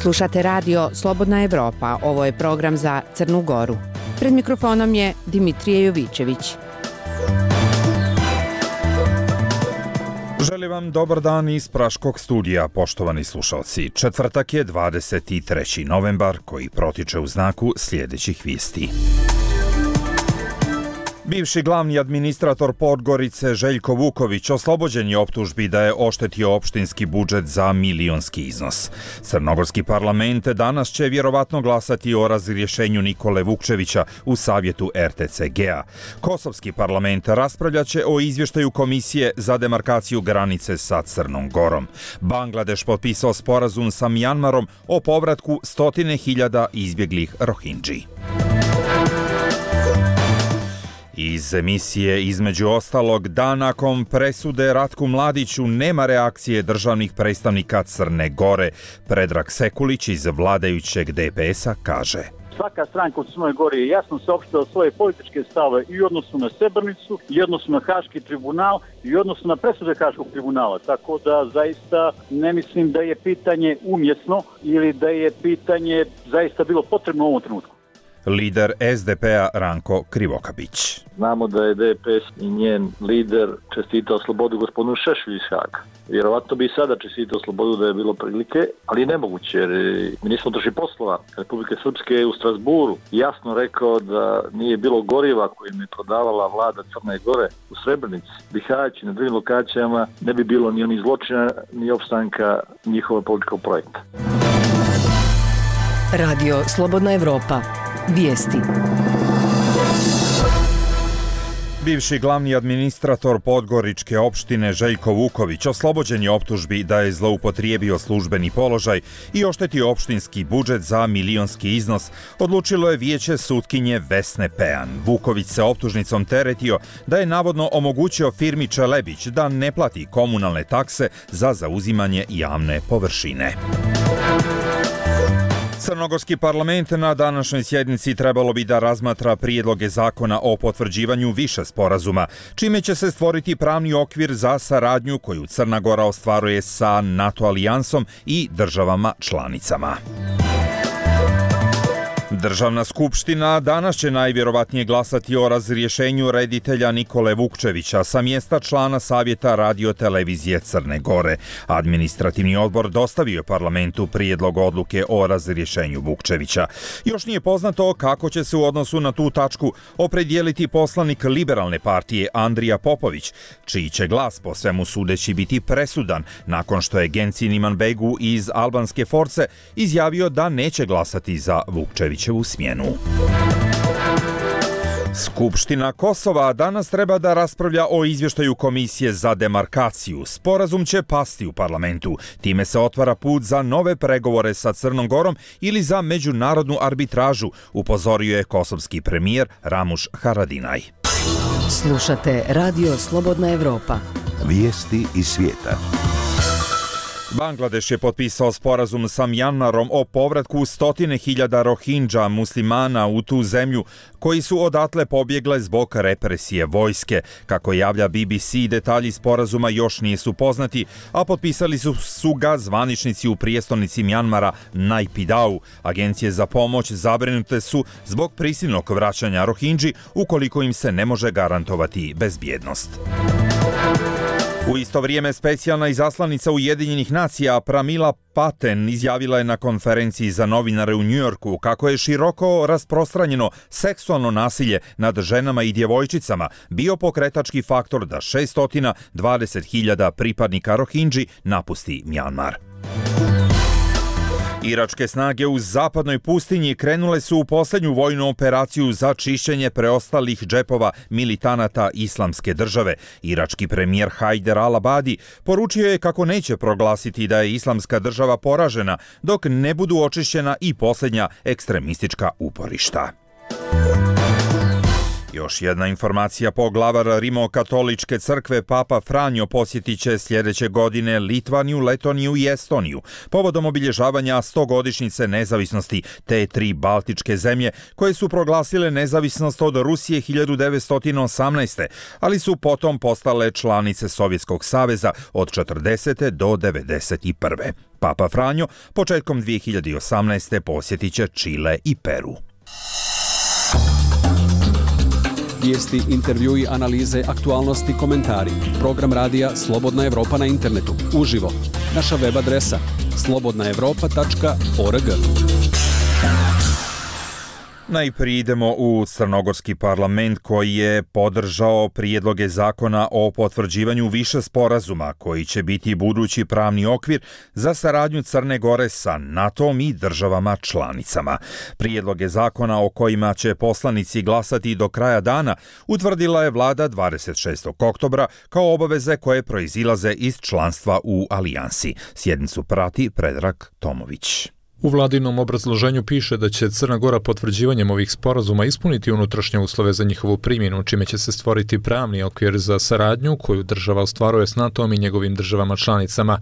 Slušate radio Slobodna Evropa, ovo je program za Crnu Goru. Pred mikrofonom je Dimitrije Jovićević. Želim vam dobar dan iz Praškog studija, poštovani slušalci. Četvrtak je 23. novembar koji protiče u znaku sljedećih vijesti. Bivši glavni administrator Podgorice Željko Vuković oslobođen je optužbi da je oštetio opštinski budžet za milionski iznos. Crnogorski parlament danas će vjerovatno glasati o razrješenju Nikole Vukčevića u savjetu RTCG-a. Kosovski parlament raspravljaće o izvještaju Komisije za demarkaciju granice sa Crnom Gorom. Bangladeš potpisao sporazum sa Mjanmarom o povratku 100.000 izbjeglih Rohingji. Iz emisije između ostalog, da nakon presude Ratku Mladiću nema reakcije državnih predstavnika Crne Gore. Predrag Sekulić iz vladajućeg DPS-a kaže: Svaka stranka u Crnoj Gori je jasno saopštila svoje političke stave i u odnosu na Srebrenicu, i u odnosu na Haški tribunal, i u odnosu na presude Haškog tribunala. Tako da zaista ne mislim da je pitanje umjesno ili da je pitanje zaista bilo potrebno u ovom trenutku. Lider SDP-a Ranko Krivokapić. Znamo da je DPS i njen lider čestitao slobodu gospodinu Šešelju iz Haga. Vjerovatno bi i sada čestitao slobodu da je bilo prilike, ali je nemoguće jer ministar unutrašnjih poslova Republike Srpske u Strasburu jasno rekao da nije bilo goriva kojim je prodavala vlada Crne Gore u Srebrenici, Bihać i na drugim lokacijama, ne bi bilo ni onih zločina ni opstanka njihovog političkog projekta. Radio Slobodna Evropa. Vijesti. Bivši glavni administrator Podgoričke opštine Željko Vuković oslobođen je optužbi da je zloupotrijebio službeni položaj i oštetio opštinski budžet za milionski iznos, odlučilo je vijeće sutkinje Vesne Pean. Vuković se optužnicom teretio da je navodno omogućio firmi Čelebić da ne plati komunalne takse za zauzimanje javne površine. Crnogorski parlament na današnjoj sjednici trebalo bi da razmatra prijedloge zakona o potvrđivanju više sporazuma, čime će se stvoriti pravni okvir za saradnju koju Crna Gora ostvaruje sa NATO alijansom i državama članicama. Državna skupština danas će najvjerovatnije glasati o razrješenju reditelja Nikole Vukčevića sa mjesta člana Savjeta radiotelevizije Crne Gore. Administrativni odbor dostavio je parlamentu prijedlog odluke o razrješenju Vukčevića. Još nije poznato kako će se u odnosu na tu tačku opredijeliti poslanik Liberalne partije Andrija Popović, čiji će glas po svemu sudeći biti presudan nakon što je Genci Imanbegu iz albanske Force izjavio da neće glasati za Vukčevića u smjenu. Skupština Kosova danas treba da raspravlja o izvještaju Komisije za demarkaciju. Sporazum će pasti u parlamentu. Time se otvara put za nove pregovore sa Crnom Gorom ili za međunarodnu arbitražu, upozorio je kosovski premijer Ramuš Haradinaj. Slušate radio Slobodna Evropa. Vijesti iz svijeta. Bangladeš je potpisao sporazum sa Mjanmarom o povratku 100.000 Rohingja muslimana u tu zemlju koji su odatle pobjegle zbog represije vojske. Kako javlja BBC, detalji sporazuma još nisu poznati, a potpisali su ga zvaničnici u prijestolnici Mjanmara Naypyidaw. Agencije za pomoć zabrinute su zbog prisilnog vraćanja Rohingji ukoliko im se ne može garantovati bezbjednost. U isto vrijeme specijalna izaslanica Ujedinjenih nacija Pramila Patten izjavila je na konferenciji za novinare u Njujorku kako je široko rasprostranjeno seksualno nasilje nad ženama i djevojčicama bio pokretački faktor da 620.000 pripadnika Rohingji napusti Mjanmar. Iračke snage u zapadnoj pustinji krenule su u posljednju vojnu operaciju za čišćenje preostalih džepova militanata Islamske države. Irački premijer Hajder al-Abadi poručio je kako neće proglasiti da je Islamska država poražena dok ne budu očišćena i posljednja ekstremistička uporišta. Još jedna informacija, poglavar Rimokatoličke crkve Papa Franjo posjetit će sljedeće godine Litvaniju, Letoniju i Estoniju povodom obilježavanja 100-godišnjice nezavisnosti te 3 baltičke zemlje koje su proglasile nezavisnost od Rusije 1918. ali su potom postale članice Sovjetskog saveza od 40. do 91. Papa Franjo početkom 2018. posjetit će Čile i Peru. Vijesti, intervjui, analize, aktualnosti, komentari. Program radija Slobodna Evropa na internetu. Uživo. Naša web adresa slobodnaevropa.org. Najprije idemo u Crnogorski parlament koji je podržao prijedloge zakona o potvrđivanju više sporazuma koji će biti budući pravni okvir za saradnju Crne Gore sa NATO-om i državama članicama. Prijedloge zakona o kojima će poslanici glasati do kraja dana utvrdila je vlada 26. oktobra kao obaveze koje proizilaze iz članstva u alijansi. Sjednicu prati Predrag Tomović. U vladinom obrazloženju piše da će Crna Gora potvrđivanjem ovih sporazuma ispuniti unutrašnje uslove za njihovu primjenu, čime će se stvoriti pravni okvir za saradnju koju država ostvaruje s NATO-om i njegovim državama članicama.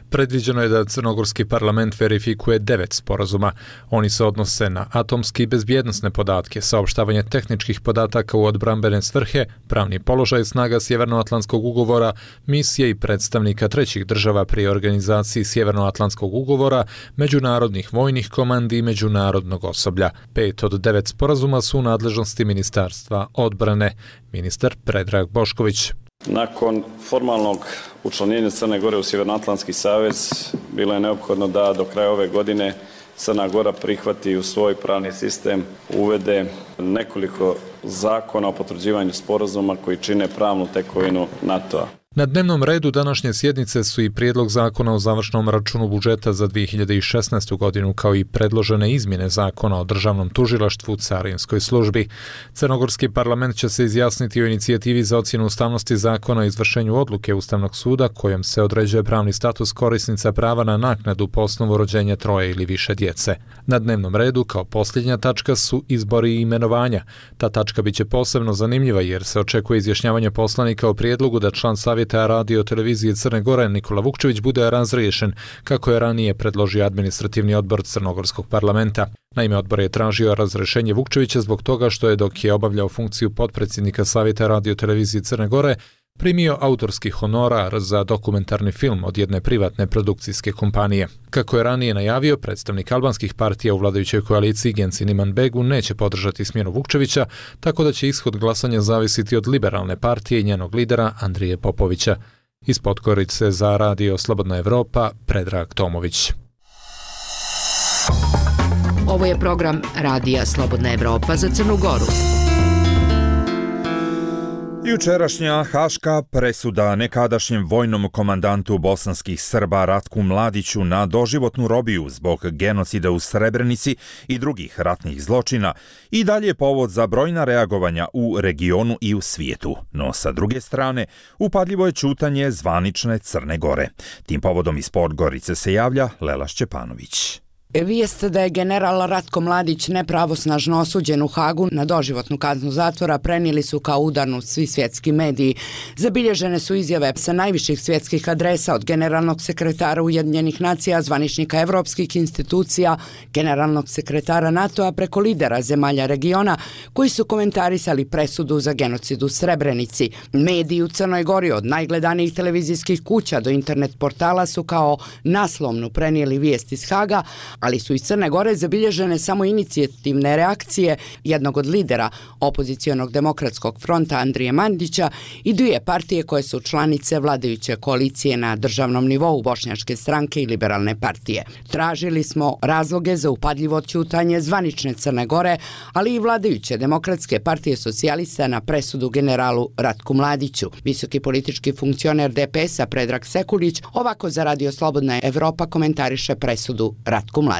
Predviđeno je da Crnogorski parlament verifikuje 9 sporazuma. Oni se odnose na atomske i bezbjednosne podatke, saopštavanje tehničkih podataka u odbrambene svrhe, pravni položaj snaga Sjevernoatlantskog ugovora, misije i predstavnika trećih država pri organizaciji Sjevernoatlantskog ugovora, međunarodnih vojnih komandi i međunarodnog osoblja. 5 od 9 sporazuma su u nadležnosti Ministarstva odbrane. Ministar Predrag Bošković. Nakon formalnog učlanjenja Crne Gore u Sjevernoatlantski savez bilo je neophodno da do kraja ove godine Crna Gora prihvati u svoj pravni sistem, uvede nekoliko zakona o potvrđivanju sporazuma koji čine pravnu tekovinu NATO-a. Na dnevnom redu današnje sjednice su i prijedlog zakona o završnom računu budžeta za 2016. godinu, kao i predložene izmjene zakona o državnom tužilaštvu, carinskoj službi. Crnogorski parlament će se izjasniti o inicijativi za ocjenu ustavnosti zakona o izvršenju odluke Ustavnog suda kojom se određuje pravni status korisnica prava na naknadu po osnovu rođenja 3 ili više djece. Na dnevnom redu kao posljednja tačka su izbori i imenovanja. Ta tačka biće posebno zanimljiva jer se očekuje izjašnjavanje poslanika o prijedlogu da član Savjeta radio televizije Crne Gore Nikola Vukčević bude razriješen, kako je ranije predložio administrativni odbor Crnogorskog parlamenta. Naime, odbor je tražio razrješenje Vukčevića zbog toga što je, dok je obavljao funkciju potpredsjednika Savjeta radio televizije Crne Gore, primio autorski honorar za dokumentarni film od jedne privatne produkcijske kompanije. Kako je ranije najavio, predstavnik albanskih partija u vladajućoj koaliciji Genci Imanbegu neće podržati smjenu Vukčevića, tako da će ishod glasanja zavisiti od liberalne partije i njenog lidera Andrije Popovića. Iz Podgorice za radio Slobodna Evropa, Predrag Tomović. Ovo je program radija Slobodna Evropa za Crnu Goru. Jučerašnja haška presuda nekadašnjem vojnom komandantu bosanskih Srba Ratku Mladiću na doživotnu robiju zbog genocida u Srebrenici i drugih ratnih zločina i dalje je povod za brojna reagovanja u regionu i u svijetu. No sa druge strane, upadljivo je ćutanje zvanične Crne Gore. Tim povodom iz Podgorice se javlja Lela Šćepanović. Vijest da je general Ratko Mladić nepravosnažno osuđen u Hagu na doživotnu kaznu zatvora prenijeli su kao udarnu svi svjetski mediji. Zabilježene su izjave sa najviših svjetskih adresa od generalnog sekretara Ujedinjenih nacija, zvaničnika evropskih institucija, generalnog sekretara NATO-a preko lidera zemalja regiona koji su komentarisali presudu za genocid u Srebrenici. Mediji u Crnoj Gori od najgledanijih televizijskih kuća do internet portala su kao naslovnu prenijeli vijest iz Haga, ali su iz Crne Gore zabilježene samo inicijativne reakcije jednog od lidera opozicionog demokratskog fronta Andrije Mandića i dvije partije koje su članice vladajuće koalicije na državnom nivou, Bošnjačke stranke i Liberalne partije. Tražili smo razloge za upadljivo ćutanje zvanične Crne Gore, ali i vladajuće demokratske partije socijalista na presudu generalu Ratku Mladiću. Visoki politički funkcioner DPS-a Predrag Sekulić ovako za radio Slobodna Evropa komentariše presudu Ratku Mladiću.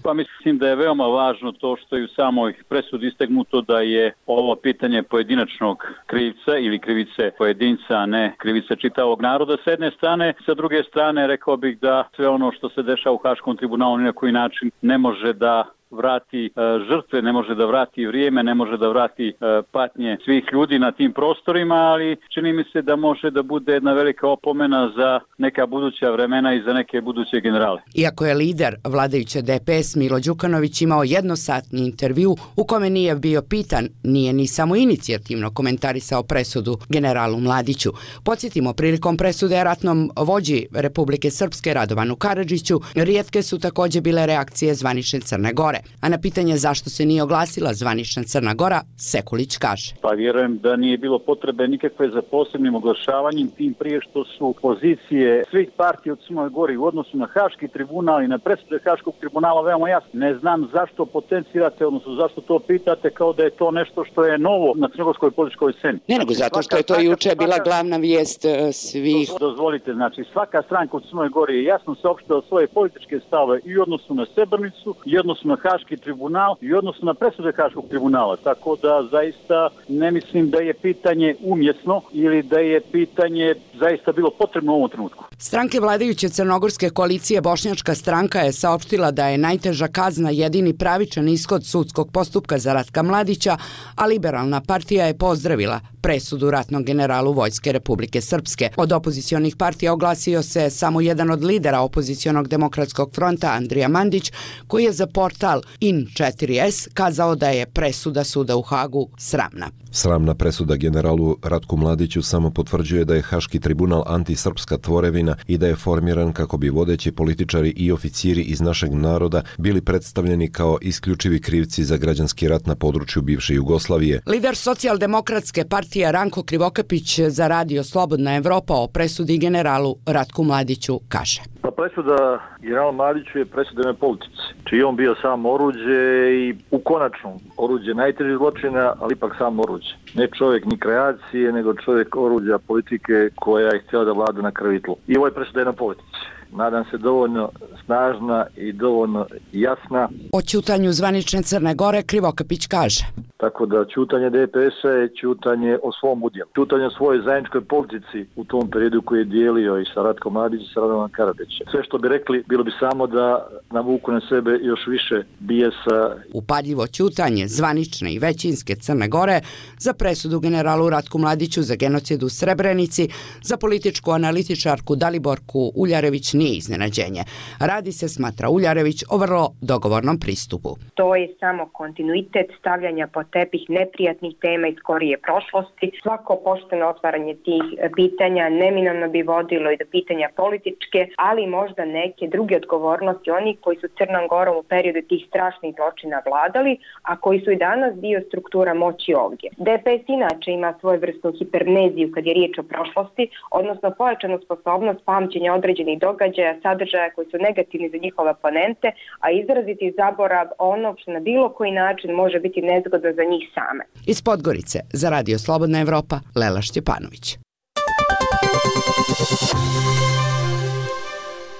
Pa mislim da je veoma važno to što je u samoj presudi istaknuto da je ovo pitanje pojedinačnog krivca ili krivice pojedinca, a ne krivice čitavog naroda s jedne strane. Sa druge strane rekao bih da sve ono što se dešava u Haškom tribunalu ni na koji način ne može da vrati žrtve, ne može da vrati vrijeme, ne može da vrati patnje svih ljudi na tim prostorima, ali čini mi se da može da bude jedna velika opomena za neka buduća vremena i za neke buduće generale. Iako je lider vladajuće DPS Milo Đukanović imao jednosatni intervju u kome nije bio pitan, nije ni samo inicijativno komentarisao presudu generalu Mladiću. Podsjetimo, prilikom presude ratnom vođi Republike Srpske Radovanu Karadžiću, rijetke su također bile reakcije zvanične Crne Gore. A na pitanje zašto se nije oglasila zvanična Crna Gora, Sekulić kaže. Pa vjerujem da nije bilo potrebe nikakve za posebnim oglašavanjem, tim prije što su pozicije svih partija u Crnoj Gori u odnosu na Haški tribunal i na presude Haškog tribunala veoma jasno. Ne znam zašto potencirate, odnosno zašto to pitate kao da je to nešto što je novo na crnogorskoj političkoj sceni. Ne, nego zato što je to juče bila glavna vijest svih. Dozvolite, znači svaka stranka u Crnoj Gori je jasno saopštila svoje političke stave i u odnosu na Srebrenicu, i u odnosu na Haški tribunal, i u odnosu na presude Haškog tribunala. Tako da zaista ne mislim da je pitanje umjesno ili da je pitanje zaista bilo potrebno u ovom trenutku. Stranke vladajuće crnogorske koalicije Bošnjačka stranka je saopštila da je najteža kazna jedini pravičan ishod sudskog postupka za Ratka Mladića, a Liberalna partija je pozdravila presudu ratnog generalu Vojske Republike Srpske. Od opozicionih partija oglasio se samo jedan od lidera opozicionog demokratskog fronta, Andrija Mandić, koji je za portal In4S kazao da je presuda suda u Hagu sramna. Sramna presuda generalu Ratku Mladiću samo potvrđuje da je Haški tribunal antisrpska tvorevina i da je formiran kako bi vodeći političari i oficiri iz našeg naroda bili predstavljeni kao isključivi krivci za građanski rat na području bivše Jugoslavije. Lider socijaldemokratske partije Ranko Krivokapić za radio Slobodna Evropa o presudi generalu Ratku Mladiću kaže. Pa presuda generalu Mladiću je presuda politici, čiji on bio sam oruđe i u konačnom oruđe najtežih zločina, ali ipak sam oruđe. Ne čovjek ni kreacije, nego čovjek oruđa politike koja je htjela da vlada na krvi tlu. I ovo je presuda na politici. Nadam se dovoljno snažna i dovoljno jasna. O ćutanju zvanične Crne Gore Krivokapić kaže. Tako da ćutanje DPS-a je ćutanje o svom udjelu. Ćutanje o svojoj zajedničkoj politici u tom periodu koji je dijelio i sa Ratkom Mladićem i sa Radovanom Karadžićem. Sve što bi rekli bilo bi samo da navuku na sebe još više bijesa. Upadljivo ćutanje zvanične i većinske Crne Gore za presudu generalu Ratku Mladiću za genocid u Srebrenici, za političku analitičarku Daliborku Uljarević nije iznenađenje. Radi se, smatra Uljarević, o vrlo dogovornom pristupu. To je samo kontinuitet stavljanja pod tepih neprijatnih tema iz skorije prošlosti. Svako pošteno otvaranje tih pitanja neminovno bi vodilo i do pitanja političke, ali možda neke druge odgovornosti onih koji su Crnom Gorom u periodu tih strašnih zločina vladali, a koji su i danas dio struktura moći ovdje. DPS inače ima svoju vrstu hiperneziju kad je riječ o prošlosti, odnosno pojačanu sposobnost pamćenja određenih događaja, sadržaja koji su negativni za njihove oponente, a izraziti zaborav onog što na bilo koji način može biti nezgodno za njih same. Iz Podgorice za radio Slobodna Evropa, Lela Štjepanović.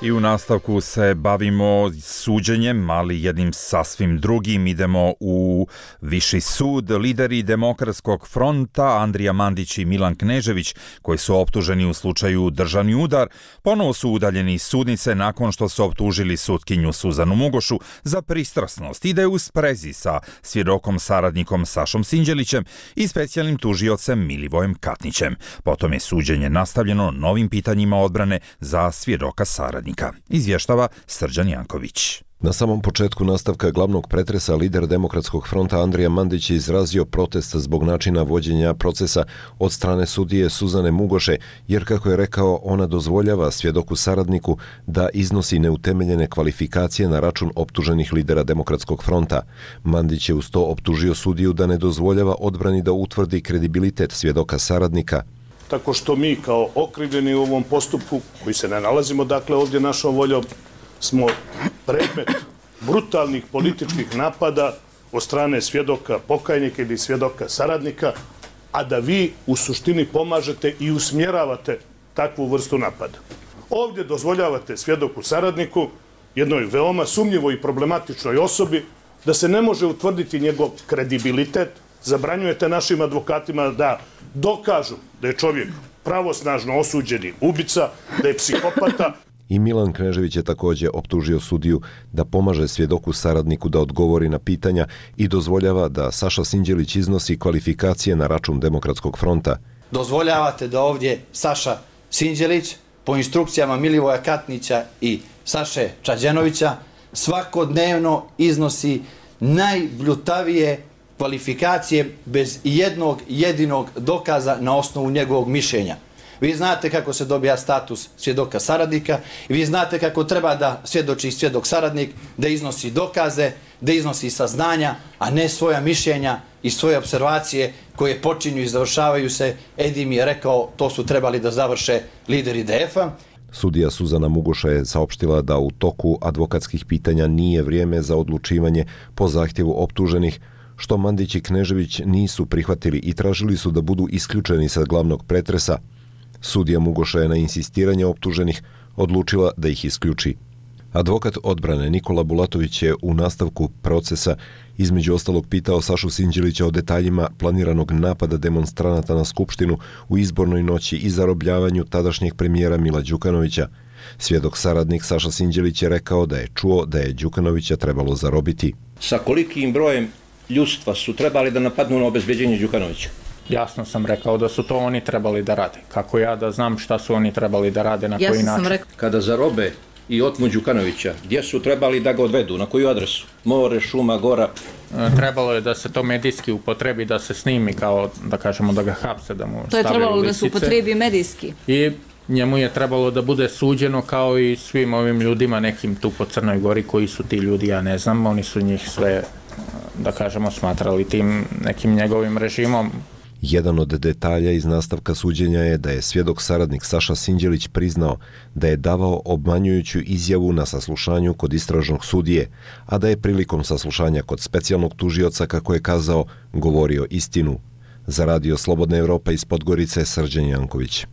I u nastavku se bavimo suđenjem, ali jednim sasvim drugim. Idemo u Viši sud. Lideri Demokratskog fronta Andrija Mandić i Milan Knežević, koji su optuženi u slučaju državni udar, ponovo su udaljeni iz sudnice nakon što su optužili sutkinju Suzanu Mugošu za pristrasnost i da je u sprezi sa svjedokom saradnikom Sašom Sinđelićem i specijalnim tužiocem Milivojem Katnićem. Potom je suđenje nastavljeno novim pitanjima odbrane za svjedoka saradnika. Izvještava Srđan Janković. Na samom početku nastavka glavnog pretresa lider Demokratskog fronta Andrija Mandić je izrazio protest zbog načina vođenja procesa od strane sudije Suzane Mugoše, jer kako je rekao, ona dozvoljava svjedoku saradniku da iznosi neutemeljene kvalifikacije na račun optuženih lidera Demokratskog fronta. Mandić je uz to optužio sudiju da ne dozvoljava odbrani da utvrdi kredibilitet svjedoka saradnika. Tako što mi kao okrivljeni u ovom postupku, koji se ne nalazimo dakle ovdje našom voljom, smo predmet brutalnih političkih napada od strane svjedoka pokajnika ili svjedoka saradnika, a da vi u suštini pomažete i usmjeravate takvu vrstu napada. Ovdje dozvoljavate svjedoku saradniku, jednoj veoma sumnjivoj i problematičnoj osobi, da se ne može utvrditi njegov kredibilitet, zabranjujete našim advokatima da dokažu da je čovjek pravosnažno osuđeni ubica, da je psihopata. I Milan Knežević je također optužio sudiju da pomaže svjedoku saradniku da odgovori na pitanja i dozvoljava da Saša Sinđelić iznosi kvalifikacije na račun Demokratskog fronta. Dozvoljavate da ovdje Saša Sinđelić po instrukcijama Milivoja Katnića i Saše Čađenovića svakodnevno iznosi najbljutavije kvalifikacije bez jednog jedinog dokaza na osnovu njegovog mišljenja. Vi znate kako se dobija status svjedoka saradnika i vi znate kako treba da svjedoči svjedok saradnik, da iznosi dokaze, da iznosi saznanja, a ne svoja mišljenja i svoje observacije koje počinju i završavaju se. Edi mi je rekao, to su trebali da završe lideri DF-a. Sudija Suzana Mugoša je saopštila da u toku advokatskih pitanja nije vrijeme za odlučivanje po zahtjevu optuženih, što Mandić i Knežević nisu prihvatili i tražili su da budu isključeni sa glavnog pretresa. Sudija Mugoša je na insistiranje optuženih odlučila da ih isključi. Advokat odbrane Nikola Bulatović je u nastavku procesa između ostalog pitao Sašu Sinđelića o detaljima planiranog napada demonstranata na Skupštinu u izbornoj noći i zarobljavanju tadašnjeg premijera Mila Đukanovića. Svjedok saradnik Saša Sinđelić je rekao da je čuo da je Đukanovića trebalo zarobiti. Sa kolikim brojem ljudstva su trebali da napadnu na obezbeđenje Đukanovića? Jasno sam rekao da su to oni trebali da rade. Kako ja da znam šta su oni trebali da rade, na koji način? Kada zarobe i otmu Đukanovića, gdje su trebali da ga odvedu, na koju adresu? More, šuma, gora? Trebalo je da se to medijski upotrebi, da se snimi kao, da kažemo, da ga hapse, da mu to je stavljaju trebalo lisice. Da se upotrebi medijski. I njemu je trebalo da bude suđeno kao i svim ovim ljudima nekim tu po Crnoj Gori, koji su ti ljudi, ja ne znam, oni su njih sve, da kažemo, smatrali tim nekim njegovim režimom. Jedan od detalja iz nastavka suđenja je da je svjedok saradnik Saša Sinđelić priznao da je davao obmanjujuću izjavu na saslušanju kod istražnog sudije, a da je prilikom saslušanja kod specijalnog tužioca, kako je kazao, govorio istinu. Za Radio Slobodna Evropa iz Podgorice, Srđan Janković.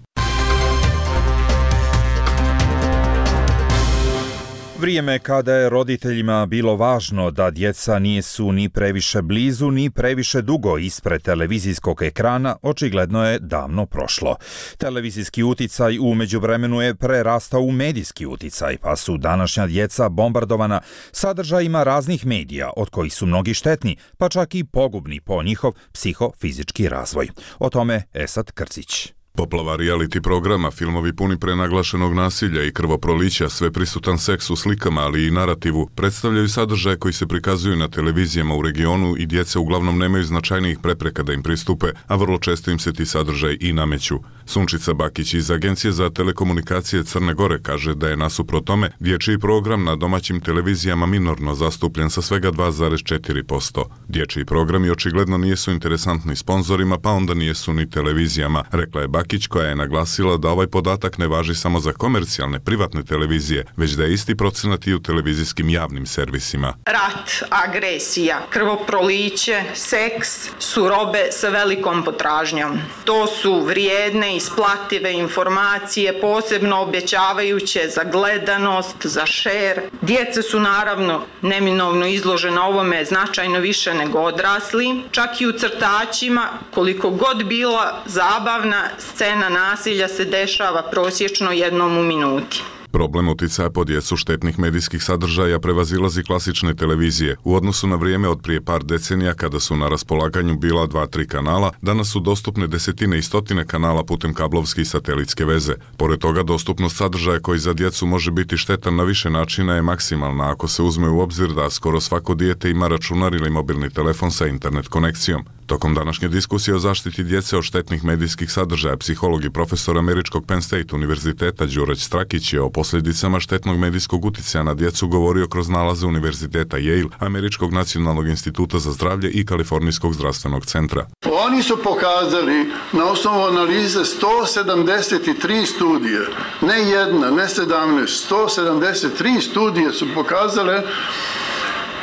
Vrijeme kada je roditeljima bilo važno da djeca nisu ni previše blizu ni previše dugo ispred televizijskog ekrana, očigledno je davno prošlo. Televizijski uticaj u međuvremenu je prerastao u medijski uticaj, pa su današnja djeca bombardovana sadržajima raznih medija, od kojih su mnogi štetni, pa čak i pogubni po njihov psihofizički razvoj. O tome Esad Krcić. Poplava reality programa, filmovi puni prenaglašenog nasilja i krvoprolića, sveprisutan seks u slikama, ali i narativu, predstavljaju sadržaje koji se prikazuju na televizijama u regionu i djeca uglavnom nemaju značajnijih prepreka da im pristupe, a vrlo često im se ti sadržaj i nameću. Sunčica Bakić iz Agencije za telekomunikacije Crne Gore kaže da je nasuprot tome dječji program na domaćim televizijama minorno zastupljen sa svega 2,4%. Dječji programi očigledno nisu interesantni sponzorima, pa onda nisu ni televizijama, rekla je Bakić, koja je naglasila da ovaj podatak ne važi samo za komercijalne privatne televizije, već da je isti procenat i u televizijskim javnim servisima. Rat, agresija, krvoproliće, seks su robe sa velikom potražnjom. To su vrijedne, isplative informacije, posebno obećavajuće za gledanost, za šer. Djeca su naravno neminovno izložena ovome značajno više nego odrasli, čak i u crtačima, koliko god bila zabavna, scena nasilja se dešava prosječno jednom u minuti. Problem uticaja po djecu štetnih medijskih sadržaja prevazilazi klasične televizije. U odnosu na vrijeme od prije par decenija, kada su na raspolaganju bila 2-3 kanala, danas su dostupne desetine i stotine kanala putem kablovske i satelitske veze. Pored toga, dostupnost sadržaja koji za djecu može biti štetan na više načina je maksimalna ako se uzme u obzir da skoro svako dijete ima računar ili mobilni telefon sa internet konekcijom. Tokom današnje diskusije o zaštiti djece od štetnih medijskih sadržaja, psiholog i profesor američkog Penn State univerziteta Đurać Strakić je o posljedicama štetnog medijskog uticaja na djecu govorio kroz nalaze univerziteta Yale, Američkog nacionalnog instituta za zdravlje i Kalifornijskog zdravstvenog centra. Oni su pokazali na osnovu analize 173 studije, ne jedna, ne 17, 173 studije su pokazale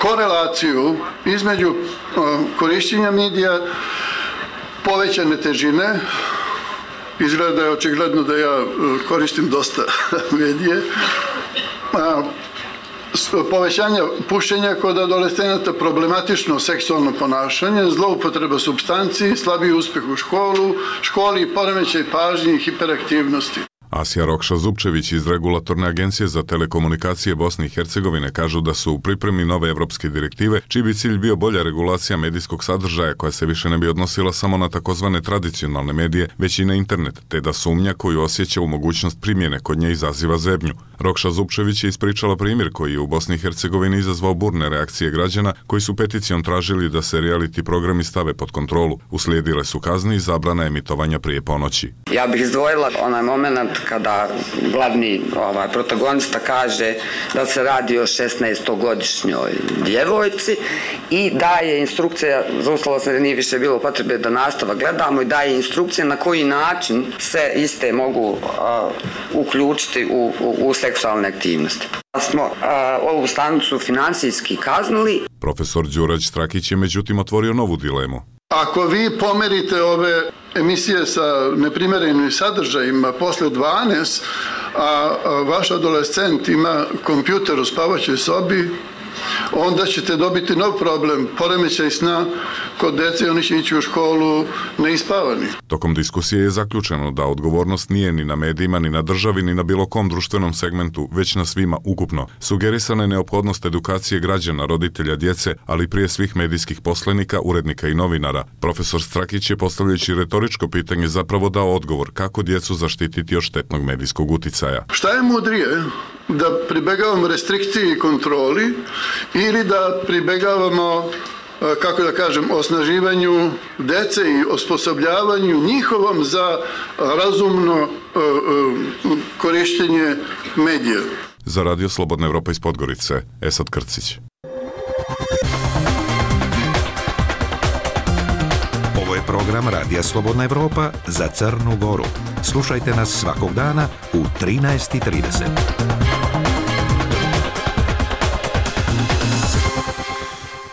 korelaciju između korištenja medija, povećane težine, izgleda je očigledno da ja koristim dosta medije, povećanja pušenja kod adolescenata, problematično seksualno ponašanje, zloupotreba supstanci, slabiji uspjeh u školi, poremećaj pažnje i hiperaktivnosti. Asija Rokša-Zupčević iz Regulatorne agencije za telekomunikacije Bosne i Hercegovine kažu da su u pripremi nove evropske direktive, čiji bi cilj bio bolja regulacija medijskog sadržaja koja se više ne bi odnosila samo na takozvane tradicionalne medije, već i na internet, te da sumnja koju osjeća u mogućnost primjene kod nje izaziva zebnju. Rokša-Zupčević je ispričala primjer koji je u Bosni i Hercegovini izazvao burne reakcije građana koji su peticijom tražili da se reality programi stave pod kontrolu. Uslijedile su kazne i zabrana emitovanja prije ponoći. Ja bih izdvojila onaj moment kada glavni protagonista kaže da se radi o 16-godišnjoj djevojci i daje instrukcija, zaustavila sam da nije više bilo potrebe da nastavak gledamo, i daje instrukcije na koji način se iste mogu uključiti u seksualne aktivnosti. Smo ovu stanicu finansijski kaznili. Profesor Đurać Strakić je međutim otvorio novu dilemu. Ako vi pomerite ove emisije sa neprimjerenim sadržajima posle 12, a vaš adolescent ima kompjuter u spavaćoj sobi, onda ćete dobiti nov problem, poremećaj sna kod dece, oni će ići u školu neispavani. Tokom diskusije je zaključeno da odgovornost nije ni na medijima, ni na državi, ni na bilo kom društvenom segmentu, već na svima ukupno. Sugerisana je neophodnost edukacije građana, roditelja, djece, ali prije svih medijskih poslenika, urednika i novinara. Profesor Strakić je, postavljajući retoričko pitanje, zapravo dao odgovor kako djecu zaštititi od štetnog medijskog uticaja. Šta je mudrije? Da pribegavamo restrikciji i kontroli ili da pribegavamo, kako da kažem, osnaživanju dece i osposobljavanju njihovom za razumno korištenje medija. Za Radio Slobodna Evropa iz Podgorice, Esad Krcić. Ovo je program Radija Slobodna Evropa za Crnu Goru. Slušajte nas svakog dana u 13:30.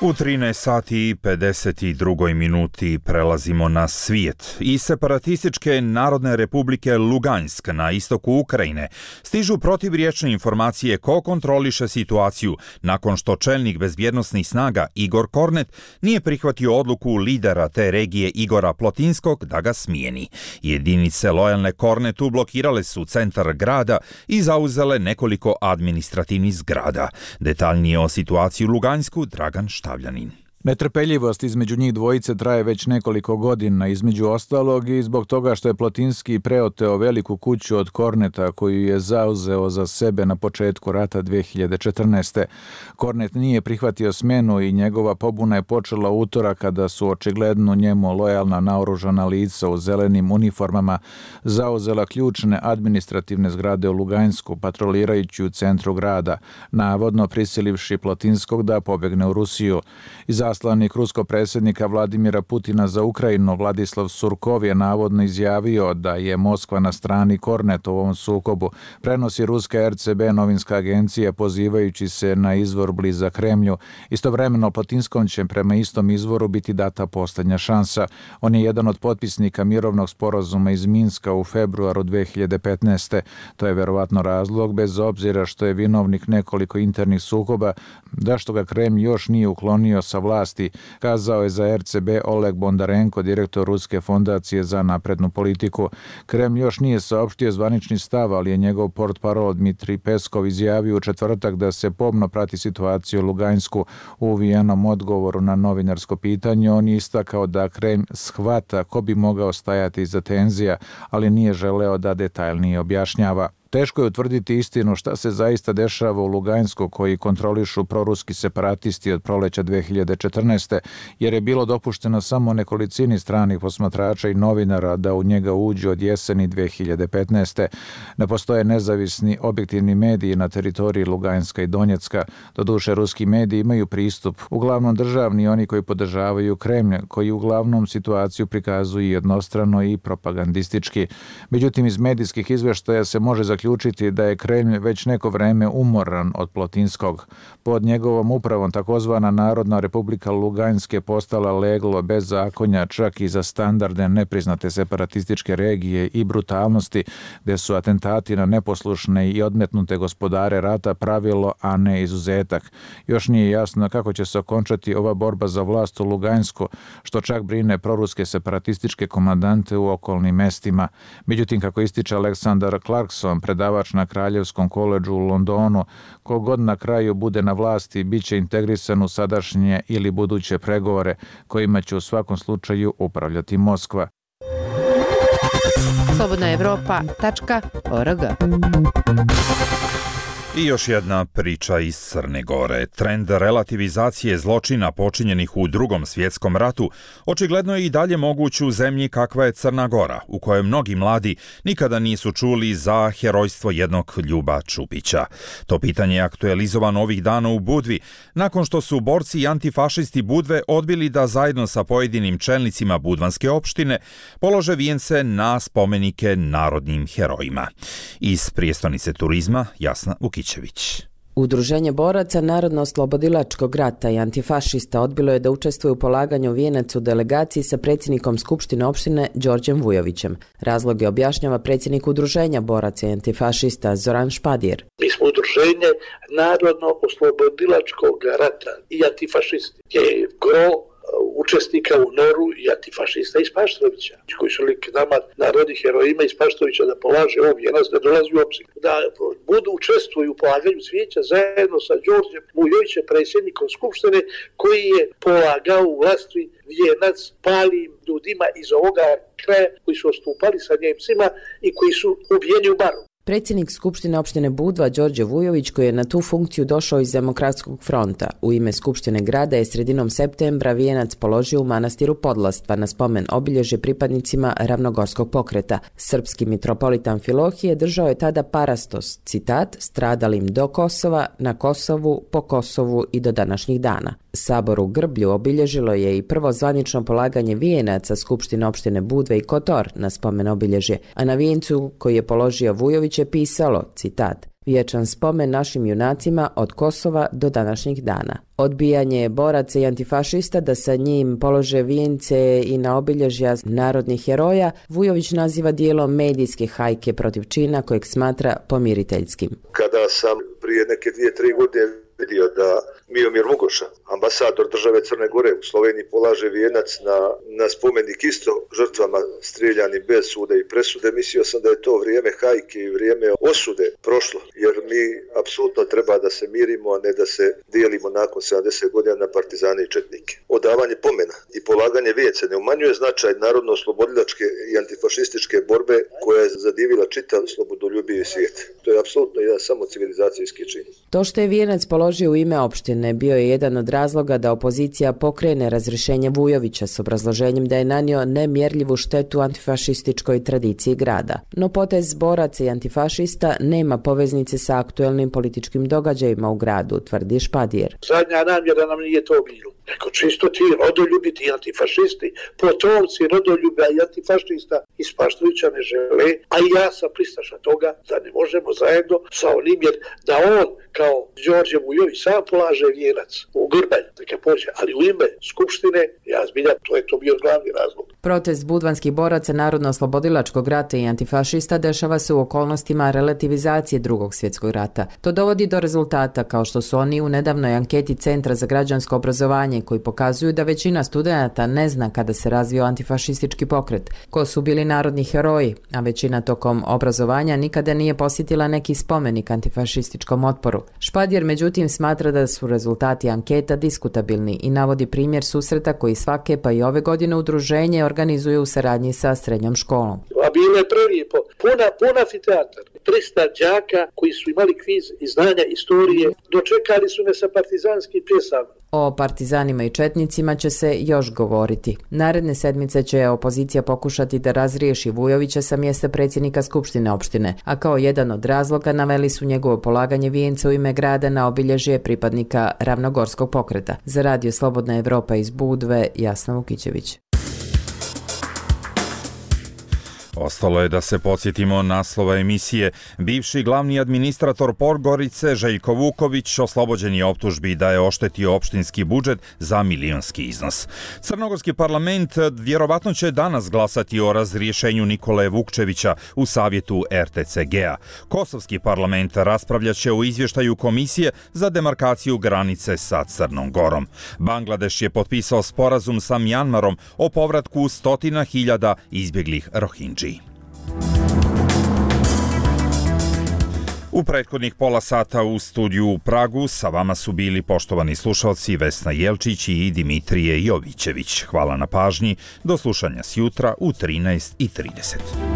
U 13 sati i 52 minuti prelazimo na svijet. Iz separatističke Narodne republike Lugansk na istoku Ukrajine stižu protivriječne informacije ko kontroliše situaciju nakon što čelnik bezbjednosnih snaga Igor Kornet nije prihvatio odluku lidera te regije Igora Plotinskog da ga smijeni. Jedinice lojalne Kornetu blokirale su centar grada i zauzele nekoliko administrativnih zgrada. Detaljnije o situaciji u Lugansku Dragan Štavljanin. Netrpeljivost između njih dvojice traje već nekoliko godina, između ostalog i zbog toga što je Plotinski preoteo veliku kuću od Korneta koju je zauzeo za sebe na početku rata 2014. Kornet nije prihvatio smjenu i njegova pobuna je počela utorak kada su očigledno njemu lojalna naoružana lica u zelenim uniformama zauzela ključne administrativne zgrade u Lugansku, patrolirajući u centru grada, navodno prisilivši Plotinskog da pobjegne u Rusiju. Izaslanik ruskog predsjednika Vladimira Putina za Ukrajinu Vladislav Surkov je navodno izjavio da je Moskva na strani Korneta u ovom sukobu, prenosi ruska RCB novinska agencija pozivajući se na izvor blizak Kremlju. Istovremeno Plotinskom će prema istom izvoru biti data posljednja šansa. On je jedan od potpisnika mirovnog sporazuma iz Minska u februaru 2015. To je verovatno razlog, bez obzira što je vinovnik nekoliko internih sukoba, da što ga Kremlj još nije uklonio sa vlasti, kazao je za RCB Oleg Bondarenko, direktor Ruske fondacije za naprednu politiku. Kremlj još nije saopštio zvanični stav, ali je njegov portparol Dmitrij Peskov izjavio u četvrtak da se pomno prati situaciju u Lugansku. U uvijenom odgovoru na novinarsko pitanje on je istakao da Kremlj shvata ko bi mogao stajati iza tenzija, ali nije želeo da detaljnije objašnjava. Teško je utvrditi istinu šta se zaista dešava u Lugansku koji kontrolišu proruski separatisti od proleća 2014. jer je bilo dopušteno samo nekolicini stranih posmatrača i novinara da u njega uđu od jeseni 2015. Ne postoje nezavisni objektivni mediji na teritoriji Luganska i Donjecka. Doduše, ruski mediji imaju pristup, uglavnom državni, oni koji podržavaju Kremlj, koji uglavnom situaciju prikazuju jednostrano i propagandistički. Međutim, iz medijskih izveštaja se može zaključiti zaključiti da je Kremlj već neko vreme umoran od Plotinskog. Pod njegovom upravom takozvana Narodna republika Lugansk je postala leglo bez zakonja čak i za standarde nepriznate separatističke regije i brutalnosti, gde su atentati na neposlušne i odmetnute gospodare rata pravilo, a ne izuzetak. Još nije jasno kako će se okončati ova borba za vlast u Lugansku, što čak brine proruske separatističke komandante u okolnim mestima. Međutim, kako ističe Aleksandar Clarkson, predavač na Kraljevskom koledžu u Londonu, kogod na kraju bude na vlasti biće integrisan u sadašnje ili buduće pregovore kojima će u svakom slučaju upravljati Moskva. slobodnaevropa.org. I još jedna priča iz Crne Gore. Trend relativizacije zločina počinjenih u Drugom svjetskom ratu očigledno je i dalje moguć u zemlji kakva je Crna Gora, u kojoj mnogi mladi nikada nisu čuli za herojstvo jednog Ljuba Čupića. To pitanje je aktualizovano ovih dana u Budvi, nakon što su borci i antifašisti Budve odbili da zajedno sa pojedinim čelnicima budvanske opštine polože vijence na spomenike narodnim herojima. Iz prijestolnice turizma Jasna Vukić. Udruženje boraca Narodno-oslobodilačkog rata i antifašista odbilo je da učestvuje u polaganju vijenac u delegaciji sa predsjednikom Skupštine opštine Đorđem Vujovićem. Razloge objašnjava predsjednik Udruženja boraca i antifašista Zoran Špadjer. Mi smo udruženje Narodno-oslobodilačkog rata i antifašisti. Je gro učesnika u Noru i antifašista iz Paštrovića, koji su lik nama narodnih herojima iz Paštrovića da polaže ovo vijenac, da dolazi u obzir. Da budu učestvuju u polaganju cvijeća zajedno sa Đorđem Vujovićem, predsjednikom Skupštine, koji je polagao u vlasti vijenac palim ljudima iz ovoga kraja koji su ostupali sa Njemcima i koji su ubijeni u Baru. Predsjednik Skupštine opštine Budva Đorđe Vujović, koji je na tu funkciju došao iz Demokratskog fronta, u ime Skupštine grada je sredinom septembra vijenac položio u manastiru Podlastva na spomen obilježje pripadnicima Ravnogorskog pokreta. Srpski mitropolit Amfilohije držao je tada parastos, citat, stradalim do Kosova, na Kosovu, po Kosovu i do današnjih dana. Sabor u Grblju obilježilo je i prvo zvanično polaganje vijenaca Skupštine opštine Budve i Kotor na spomen obilježje, a na vijencu koji je položio Vujović je pisalo, citat, vječan spomen našim junacima od Kosova do današnjih dana. Odbijanje boraca i antifašista da sa njim polože vijence i na obilježja narodnih heroja Vujović naziva dijelom medijske hajke protiv čina kojeg smatra pomiriteljskim. Kada sam prije neke 2-3 godine vidio da Miomir Mugoša, ambasador države Crne Gore u Sloveniji, polaže vijenac na spomenik isto žrtvama strijeljanim bez suda i presude, mislio sam da je to vrijeme hajke i vrijeme osude prošlo, jer mi apsolutno treba da se mirimo, a ne da se dijelimo nakon 70 godina na partizane i četnike. Odavanje pomena i polaganje vijence ne umanjuje značaj narodno-oslobodilačke i antifašističke borbe koja je zadivila čitav slobodoljubivi svijet. To je apsolutno jedan samo civilizacijski čin. To što je vijenac položio u ime opštine bio je jedan od razloga da opozicija pokrene razrješenje Vujovića s obrazloženjem da je nanio nemjerljivu štetu antifašističkoj tradiciji grada. No potez boraca i antifašista nema poveznice sa aktuelnim političkim događajima u gradu, tvrdi Špadjer. Zadnja namjera nam nije to bilo. Nego čisto ti rodoljubi, ti antifašisti, potomci rodoljuba i antifašista iz Paštrovića ne žele, a i ja sam pristaša toga da ne možemo zajedno sa onim, jer da on kao Đorđe Vujović sam polaže vijenac u Grbalj, neka pođe, ali u ime Skupštine, ja zbilja, to je to bio glavni razlog. Protest budvanskih boraca Narodno-oslobodilačkog rata i antifašista dešava se u okolnostima relativizacije Drugog svjetskog rata. To dovodi do rezultata kao što su oni u nedavnoj anketi Centra za građansko obrazovanje koji pokazuju da većina studenata ne zna kada se razvio antifašistički pokret, ko su bili narodni heroji, a većina tokom obrazovanja nikada nije posjetila neki spomenik antifašističkom otporu. Špadjer međutim smatra da su rezultati anketa diskutabilni i navodi primjer susreta koji svake pa i ove godine udruženje organizuje u saradnji sa srednjom školom. A bilo je prelijepo, pun amfiteatar, 300 đaka koji su imali kviz i znanja istorije, dočekali su me sa partizanskim pjesama. O partizanima i četnicima će se još govoriti. Naredne sedmice će opozicija pokušati da razriješi Vujovića sa mjesta predsjednika Skupštine opštine, a kao jedan od razloga naveli su njegovo polaganje vijenca u ime grada na obilježje pripadnika Ravnogorskog pokreta. Za Radio Slobodna Evropa iz Budve, Jasna Vukićević. Ostalo je da se podsjetimo naslova emisije. Bivši glavni administrator Podgorice Željko Vuković oslobođen je optužbi da je oštetio opštinski budžet za milionski iznos. Crnogorski parlament vjerovatno će danas glasati o razrješenju Nikole Vukčevića u savjetu RTCG-a. Kosovski parlament raspravljaće o izvještaju Komisije za demarkaciju granice sa Crnom Gorom. Bangladeš je potpisao sporazum sa Mjanmarom o povratku 100.000 izbjeglih Rohingji. U prethodnih pola sata u studiju u Pragu sa vama su bili poštovani slušalci Vesna Jelčić i Dimitrije Jovićević. Hvala na pažnji. Do slušanja sjutra u 13:30.